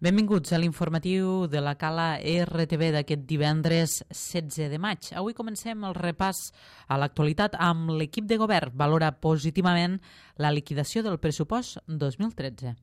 Benvinguts a l'informatiu de la Cala RTV d'aquest divendres 16 de maig. Avui comencem el repàs a l'actualitat amb l'equip de govern. Valora positivament la liquidació del pressupost 2013.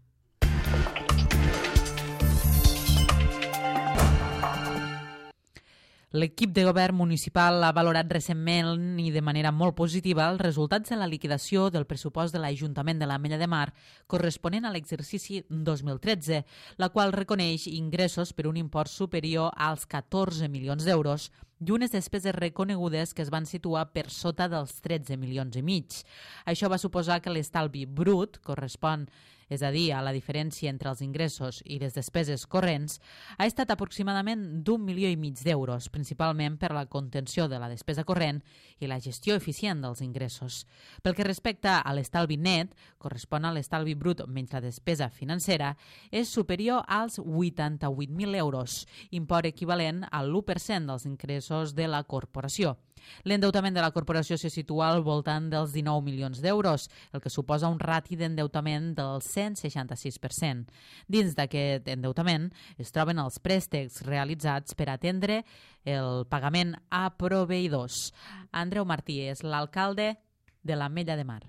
L'equip de govern municipal ha valorat recentment i de manera molt positiva els resultats de la liquidació del pressupost de l'Ajuntament de l'Ametlla de Mar corresponent a l'exercici 2013, la qual reconeix ingressos per un import superior als 14 milions d'euros i unes despeses reconegudes que es van situar per sota dels 13 milions i mig. Això va suposar que l'estalvi brut correspon, és a dir, a la diferència entre els ingressos i les despeses corrents, ha estat aproximadament d'1,5 milió d'euros, principalment per la contenció de la despesa corrent i la gestió eficient dels ingressos. Pel que respecta a l'estalvi net, correspon a l'estalvi brut menys la despesa financera, és superior als 88.000 euros, import equivalent al 1% dels ingressos de la corporació. L'endeutament de la corporació se situa al voltant dels 19 milions d'euros, el que suposa un rati d'endeutament del 166%. Dins d'aquest endeutament es troben els préstecs realitzats per atendre el pagament a proveïdors. Andreu Martí és l'alcalde de l'Ametlla de Mar.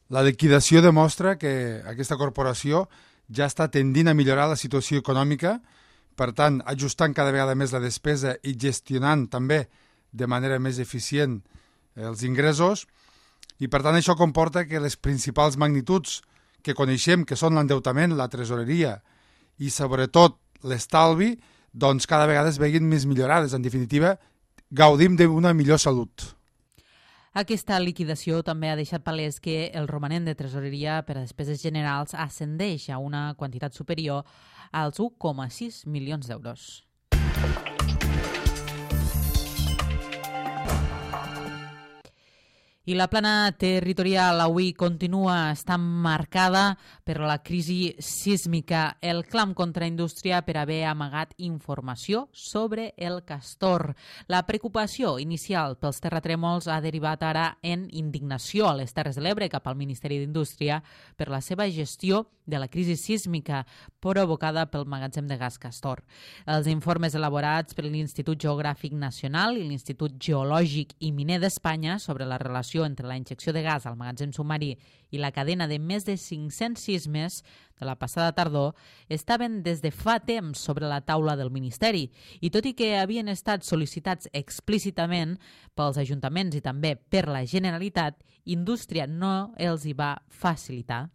La liquidació demostra que aquesta corporació ja està tendint a millorar la situació econòmica, per tant, ajustant cada vegada més la despesa i gestionant també de manera més eficient els ingressos, i per tant això comporta que les principals magnituds que coneixem, que són l'endeutament, la tresoreria i sobretot l'estalvi, doncs cada vegada es veguin més millorades. En definitiva, gaudim d'una millor salut. Aquesta liquidació també ha deixat palès que el romanent de tresoreria per a despeses generals ascendeix a una quantitat superior als 1,6 milions d'euros. I la plana territorial avui continua estant marcada per la crisi sísmica, el clam contra indústria per haver amagat informació sobre el castor. La preocupació inicial pels terratrèmols ha derivat ara en indignació a les Terres de l'Ebre cap al Ministeri d'Indústria per la seva gestió de la crisi sísmica provocada pel magatzem de gas Castor. Els informes elaborats per l'Institut Geogràfic Nacional i l'Institut Geològic i Miner d'Espanya sobre la relació entre la injecció de gas al magatzem submarí i la cadena de més de 500 sismes de la passada tardor estaven des de fa temps sobre la taula del Ministeri i tot i que havien estat sol·licitats explícitament pels ajuntaments i també per la Generalitat, Indústria no els hi va facilitar.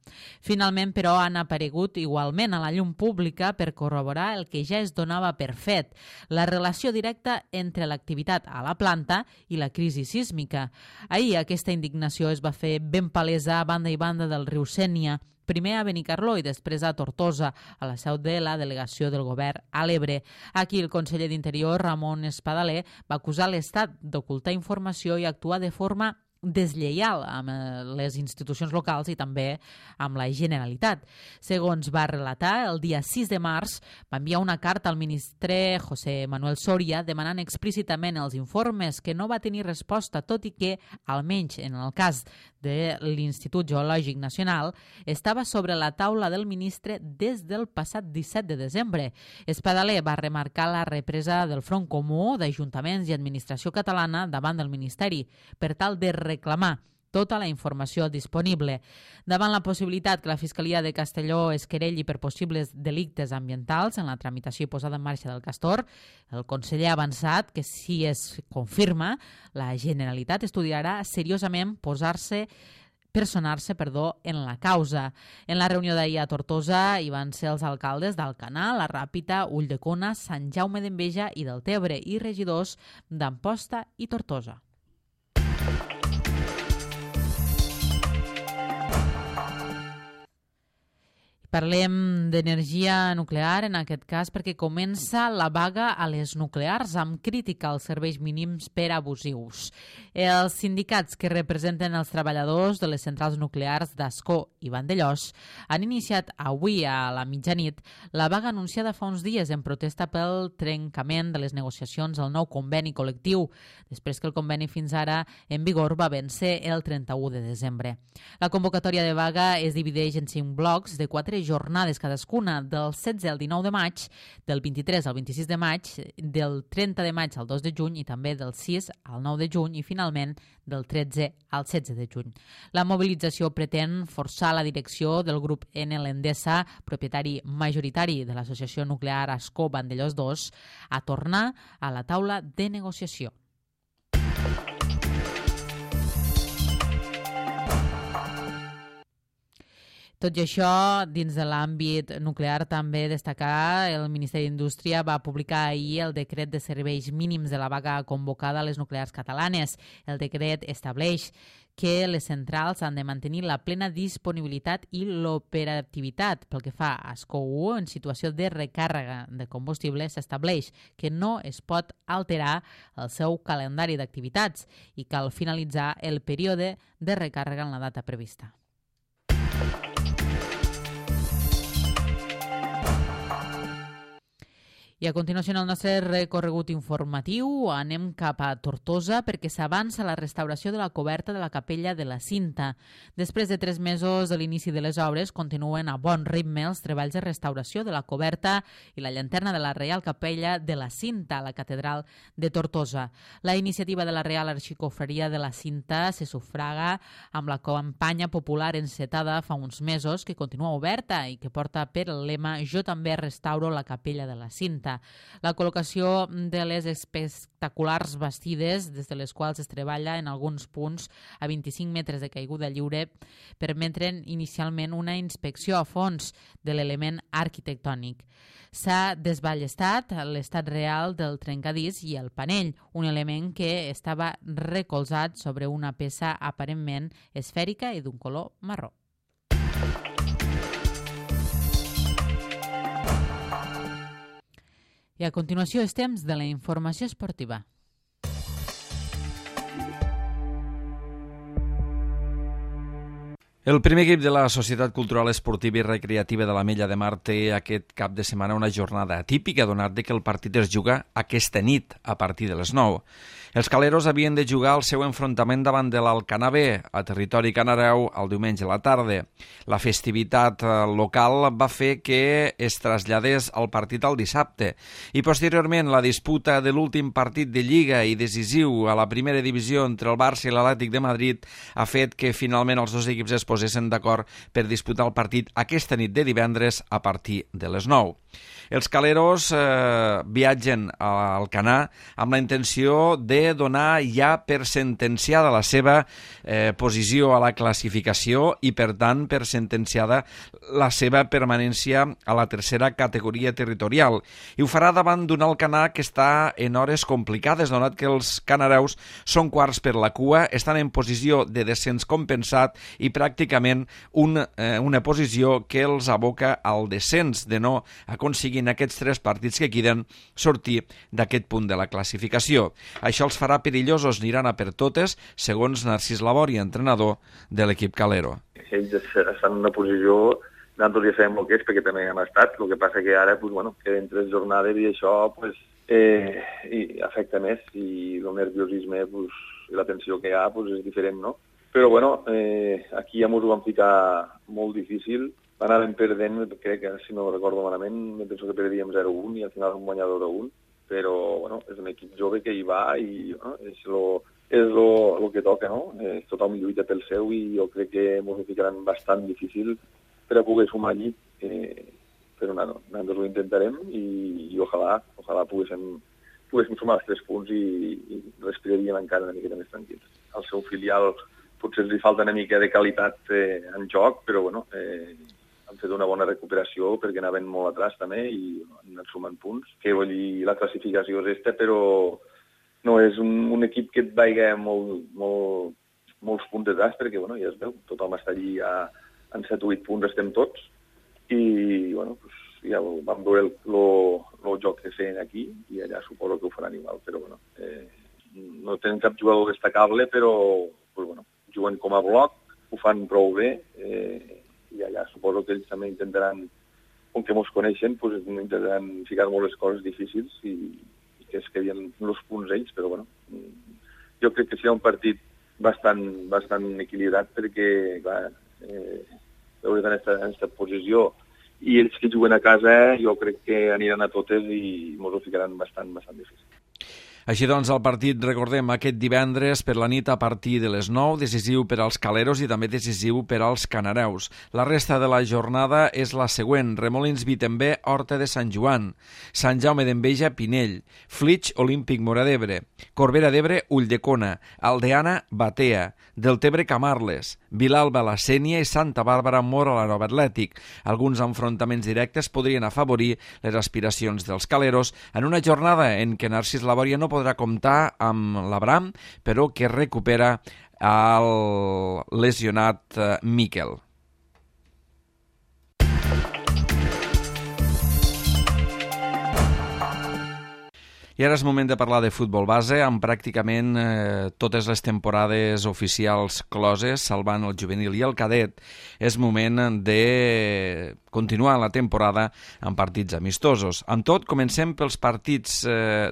Finalment, però, han aparegut igualment a la llum pública per corroborar el que ja es donava per fet, la relació directa entre l'activitat a la planta i la crisi sísmica. Ahir aquesta indignació es va fer ben palesa a banda i banda del riu Sénia, primer a Benicarló i després a Tortosa, a la seu de la delegació del govern a l'Ebre. Aquí el conseller d'Interior, Ramon Espadaler, va acusar l'Estat d'ocultar informació i actuar de forma deslleial amb les institucions locals i també amb la Generalitat. Segons va relatar, el dia 6 de març va enviar una carta al ministre José Manuel Soria demanant explícitament els informes que no va tenir resposta, tot i que, almenys en el cas de l'Institut Geològic Nacional, estava sobre la taula del ministre des del passat 17 de desembre. Espadaler va remarcar la represa del front comú d'ajuntaments i administració catalana davant del Ministeri per tal de reclamar tota la informació disponible. Davant la possibilitat que la Fiscalia de Castelló es querelli per possibles delictes ambientals en la tramitació i posada en marxa del Castor, el conseller ha avançat que si es confirma, la Generalitat estudiarà seriosament personar-se en la causa. En la reunió d'ahir a Tortosa hi van ser els alcaldes d'Alcanar, la Ràpita, Ulldecona, Sant Jaume d'Enveja i del Tebre i regidors d'Amposta i Tortosa. Parlem d'energia nuclear, en aquest cas, perquè comença la vaga a les nuclears amb crítica als serveis mínims per abusius. Els sindicats que representen els treballadors de les centrals nuclears d'Ascó i Vandellòs han iniciat avui a la mitjanit la vaga anunciada fa uns dies en protesta pel trencament de les negociacions al nou conveni col·lectiu, després que el conveni fins ara en vigor va vèncer el 31 de desembre. La convocatòria de vaga es divideix en 5 blocs de 4 jornades cadascuna, del 16 al 19 de maig, del 23 al 26 de maig, del 30 de maig al 2 de juny i també del 6 al 9 de juny i finalment del 13 al 16 de juny. La mobilització pretén forçar la direcció del grup Enel Endesa, propietari majoritari de l'associació nuclear Ascó Vandellòs 2, a tornar a la taula de negociació. Tot i això, dins de l'àmbit nuclear també destacar el Ministeri d'Indústria va publicar ahir el decret de serveis mínims de la vaga convocada a les nuclears catalanes. El decret estableix que les centrals han de mantenir la plena disponibilitat i l'operativitat. Pel que fa a Ascó 1, en situació de recàrrega de combustible, s'estableix que no es pot alterar el seu calendari d'activitats i cal finalitzar el període de recàrrega en la data prevista. I a continuació, en el nostre recorregut informatiu, anem cap a Tortosa perquè s'avança la restauració de la coberta de la capella de la Cinta. Després de 3 mesos de l'inici de les obres, continuen a bon ritme els treballs de restauració de la coberta i la llanterna de la Reial Capella de la Cinta a la catedral de Tortosa. La iniciativa de la Real Arxicofreria de la Cinta se sufraga amb la campanya popular encetada fa uns mesos que continua oberta i que porta per el lema «Jo també restauro la capella de la Cinta». La col·locació de les espectaculars bastides, des de les quals es treballa en alguns punts a 25 metres de caiguda lliure, permeten inicialment una inspecció a fons de l'element arquitectònic. S'ha desballestat l'estat real del trencadís i el panell, un element que estava recolzat sobre una peça aparentment esfèrica i d'un color marró. I a continuació és temps de la informació esportiva. El primer equip de la Societat Cultural Esportiva i Recreativa de l'Ametlla de Mar té aquest cap de setmana una jornada atípica, donat que el partit es juga aquesta nit a partir de les 9. Els caleros havien de jugar el seu enfrontament davant de l'Alcanar B, a territori canareu, el diumenge a la tarda. La festivitat local va fer que es traslladés el partit al dissabte i posteriorment la disputa de l'últim partit de Lliga i decisiu a la primera divisió entre el Barça i l'Atlètic de Madrid ha fet que finalment els dos equips es posessin d'acord per disputar el partit aquesta nit de divendres a partir de les 9. Els caleros viatgen a Alcanar amb la intenció de donar ja per sentenciada la seva posició a la classificació i, per tant, per sentenciada la seva permanència a la tercera categoria territorial. I ho farà davant d'un Alcanar que està en hores complicades, donat que els canareus són quarts per la cua, estan en posició de descens compensat i pràcticament una posició que els aboca al descens, de no aconseguir en aquests 3 partits que queden sortir d'aquest punt de la classificació. Això els farà perillosos, aniran a per totes, segons Narcís Labori, entrenador de l'equip calero. Ells estan en una posició, nosaltres ja sabem el que és, perquè també hem estat, el que passa que ara queden 3 jornades i això afecta més, i el nerviosisme i la tensió que hi ha és diferent, no? Però aquí ja ens ho van ficar molt difícil. Anàvem perdent, crec que, si no recordo malament, penso que perdíem 0-1 i al final un guanyador 2-1, però és un equip jove que hi va i és el que toca, no? Tothom lluita pel seu i jo crec que ens ho ficaran bastant difícil per a poder sumar allí, però nosaltres ho intentarem i ojalà poguéssim sumar els 3 punts i respiraríem encara una miqueta més tranquils. Al seu filial potser li falta una mica de qualitat en joc, però han fet una bona recuperació perquè anaven molt atrás també i han anat sumant punts. Que vull dir, la classificació és aquesta, però no és un equip que et vaiga molts punts detrás, perquè ja es veu, tothom està allí en 7 o 8 punts, estem tots, i ja vam veure el joc que feien aquí i allà suposo que ho faran igual, però no tenen cap jugador destacable, però juguen com a bloc, ho fan prou bé, i allà suposo que ells també intentaran, com que ens coneixen, intentaran ficar molt les coses difícils i que es quedin els punts ells, però jo crec que serà un partit bastant equilibrat perquè, clar, veure en aquesta posició i ells que juguen a casa jo crec que aniran a totes i ens ho ficaran bastant difícil. Així doncs, el partit, recordem, aquest divendres per la nit a partir de les 9, decisiu per als caleros i també decisiu per als canareus. La resta de la jornada és la següent: Remolins Vitembé, Horta de Sant Joan, Sant Jaume d'Enveja, Pinell, Flix, Olímpic Móra d'Ebre, Corbera d'Ebre, Ulldecona, Aldeana, Batea, Deltebre, Camarles, Vilalba, la Sénia i Santa Bàrbara, Móra, la Nova Atlètic. Alguns enfrontaments directes podrien afavorir les aspiracions dels caleros en una jornada en què Narcís Labòria no podrà comptar amb l'Abram, però que recupera el lesionat Miquel. I ara és moment de parlar de futbol base, amb pràcticament totes les temporades oficials closes, salvant el juvenil i el cadet. És moment de continuar la temporada amb partits amistosos. Amb tot, comencem pels partits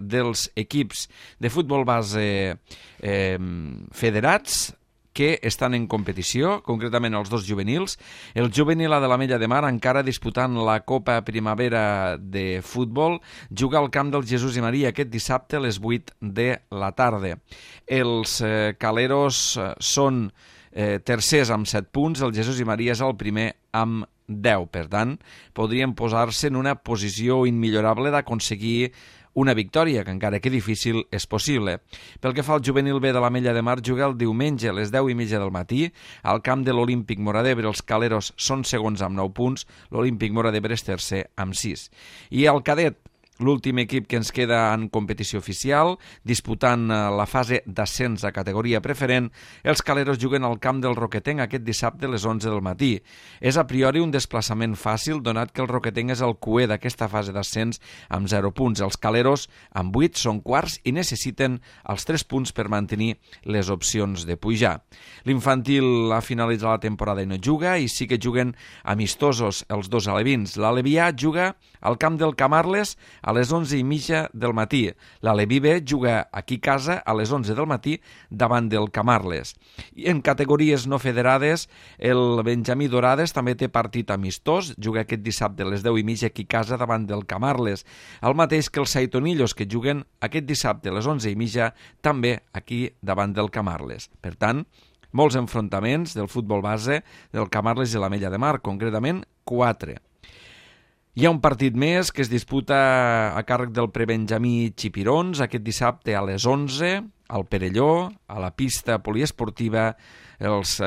dels equips de futbol base federats, que estan en competició, concretament els dos juvenils. El juvenil de l'Ametlla de Mar, encara disputant la Copa Primavera de futbol, juga al camp del Jesús i Maria aquest dissabte a les 8 de la tarda. Els caleros són tercers amb 7 punts, el Jesús i Maria és el primer amb 10. Per tant, podrien posar-se en una posició immillorable d'aconseguir una victòria, que encara que difícil és possible. Pel que fa al juvenil B de l'Ametlla de Mar, juga el diumenge a les 10:30 del matí al camp de l'Olímpic Móra d'Ebre. Els caleros són segons amb 9 punts, l'Olímpic Móra d'Ebre és tercer amb 6. I el cadet, l'últim equip que ens queda en competició oficial, disputant la fase d'ascens a categoria preferent, els caleros juguen al camp del Roquetenc aquest dissabte a les 11 del matí. És a priori un desplaçament fàcil, donat que el Roquetenc és el cuer d'aquesta fase d'ascens amb 0 punts. Els caleros, amb 8, són quarts i necessiten els 3 punts per mantenir les opcions de pujar. L'infantil ha finalitzat la temporada i no juga, i sí que juguen amistosos els dos alevins. L'Aleví A juga al camp del Camarles a les 11:30 del matí. L'Aleví B juga aquí a casa a les 11 del matí davant del Camarles. I en categories no federades, el Benjamí Dorades també té partit amistós, juga aquest dissabte a les 10:30 aquí a casa davant del Camarles. El mateix que els Saitonillos, que juguen aquest dissabte a les 11:30 també aquí davant del Camarles. Per tant, molts enfrontaments del futbol base del Camarles i l'Ametlla de Mar, concretament 4. Hi ha un partit més que es disputa a càrrec del prebenjamí Xipirons aquest dissabte a les 11 al Perelló, a la pista poliesportiva. Els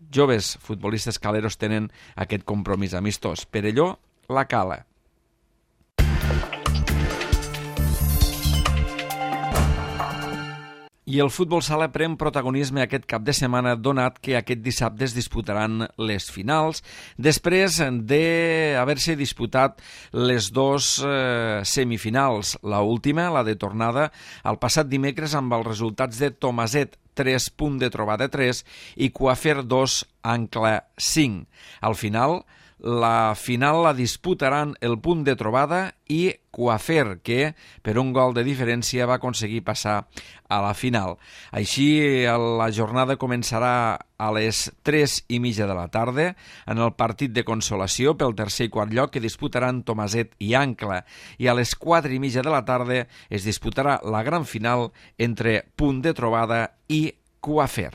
joves futbolistes caleros tenen aquest compromís amistós. Perelló, la Cala. I el futbol sala pren protagonisme aquest cap de setmana, donat que aquest dissabte es disputaran les finals, després d'haver-se disputat les dos semifinals. La última, la de tornada, el passat dimecres amb els resultats de Tomaset 3, punt de trobada 3, i Coafer 2, Ancla 5. Al final, la final la disputaran el punt de trobada i Coafer, que per un gol de diferència va aconseguir passar a la final. Així, la jornada començarà a les 3:30 de la tarda en el partit de consolació pel tercer i quart lloc que disputaran Tomaset i Ancla, i a les 4:30 de la tarda es disputarà la gran final entre punt de trobada i Coafer.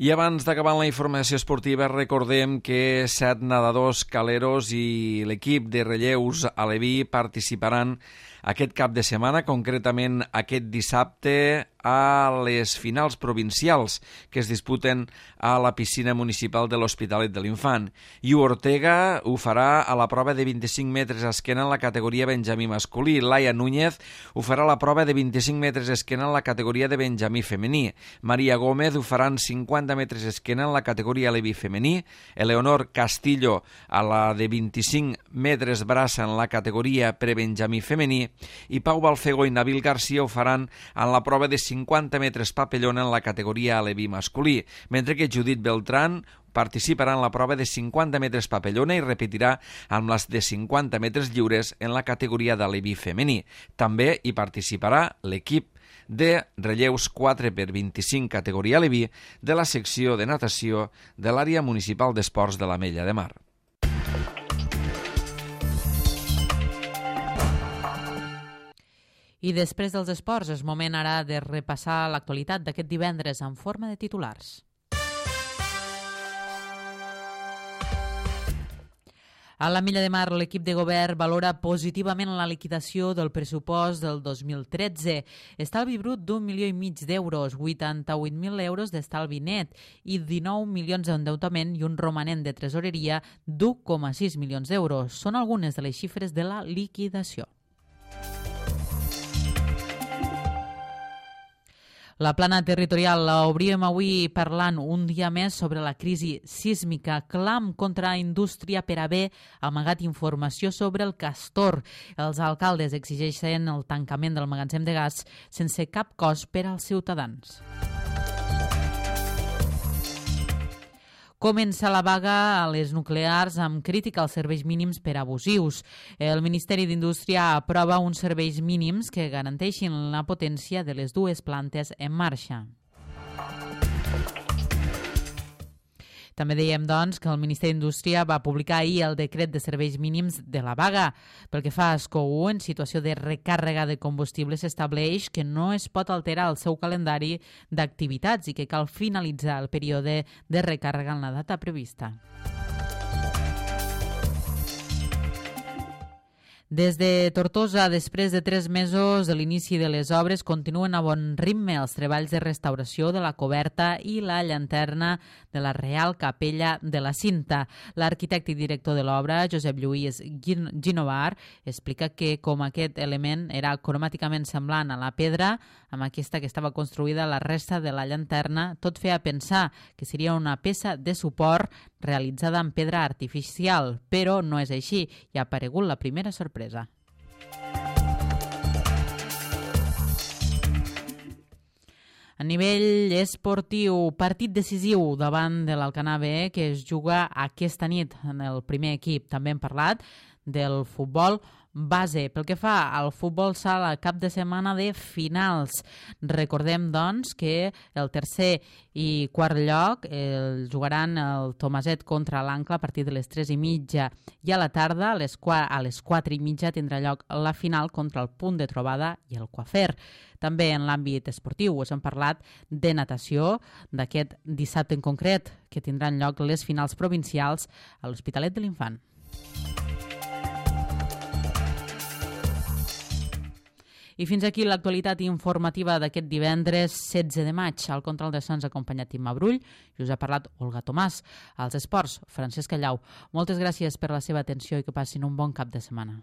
I abans d'acabar la informació esportiva, recordem que 7 nedadors caleros i l'equip de relleus aleví participaran aquest cap de setmana, concretament aquest dissabte, a les finals provincials que es disputen a la piscina municipal de l'Hospitalet de l'Infant. Iu Ortega ho farà a la prova de 25 metres esquena en la categoria benjamí masculí. Laia Núñez ho farà a la prova de 25 metres esquena en la categoria de benjamí femení. Maria Gómez ho farà en 50 metres esquena en la categoria aleví femení. Eleonor Castillo a la de 25 metres braça en la categoria prebenjamí femení. I Pau Balfego i Nabil Garcia ho faran en la prova de 50 metres papellona en la categoria aleví masculí, mentre que Judit Beltrán participarà en la prova de 50 metres papellona i repetirà amb les de 50 metres lliures en la categoria d'aleví femení. També hi participarà l'equip de relleus 4x25 categoria Leví de la secció de natació de l'àrea municipal d'esports de l'Ametlla de Mar. I després dels esports és moment ara de repassar l'actualitat d'aquest divendres en forma de titulars. A l'Ametlla de Mar, l'equip de govern valora positivament la liquidació del pressupost del 2013. Estalvi brut d'1,5 milió d'euros, 88.000 euros d'estalvi net i 19 milions d'endeutament i un romanent de tresoreria d'1,6 milions d'euros. Són algunes de les xifres de la liquidació. La plana territorial l'obríem avui parlant un dia més sobre la crisi sísmica. Clam contra indústria per haver amagat informació sobre el castor. Els alcaldes exigeixen el tancament del magatzem de gas sense cap cost per als ciutadans. Comença la vaga a les nuclears amb crítica als serveis mínims per abusius. El Ministeri d'Indústria aprova uns serveis mínims que garanteixin la potència de les dues plantes en marxa. També dèiem, doncs, que el Ministeri d'Indústria va publicar ahir el decret de serveis mínims de la vaga. Pel que fa a SCOU, en situació de recàrrega de combustible s'estableix que no es pot alterar el seu calendari d'activitats i que cal finalitzar el període de recàrrega en la data prevista. Des de Tortosa, després de 3 mesos de l'inici de les obres, continuen a bon ritme els treballs de restauració de la coberta i la llanterna de la Real Capella de la Cinta. L'arquitecte i director de l'obra, Josep Lluís Ginovar, explica que com aquest element era cromàticament semblant a la pedra, amb aquesta que estava construïda la resta de la llanterna, tot feia pensar que seria una peça de suport realitzada en pedra artificial, però no és així i ha aparegut la primera sorpresa. A nivell esportiu, partit decisiu davant de l'Alcanar B que es juga aquesta nit en el primer equip. També hem parlat del futbol base. Pel que fa al futbol sala, cap de setmana de finals. Recordem, doncs, que el tercer i quart lloc el jugaran el Tomaset contra l'Ancla a partir de les 3:30 i a la tarda, a les 4:30, tindrà lloc la final contra el Punt de Trobada i el Coafer. També en l'àmbit esportiu us hem parlat de natació, d'aquest dissabte en concret, que tindran lloc les finals provincials a l'Hospitalet de l'Infant. I fins aquí l'actualitat informativa d'aquest divendres 16 de maig. Al control de sons ha acompanyat Imma Brull i us ha parlat Olga Tomàs. Als esports, Francesc Callau. Moltes gràcies per la seva atenció i que passin un bon cap de setmana.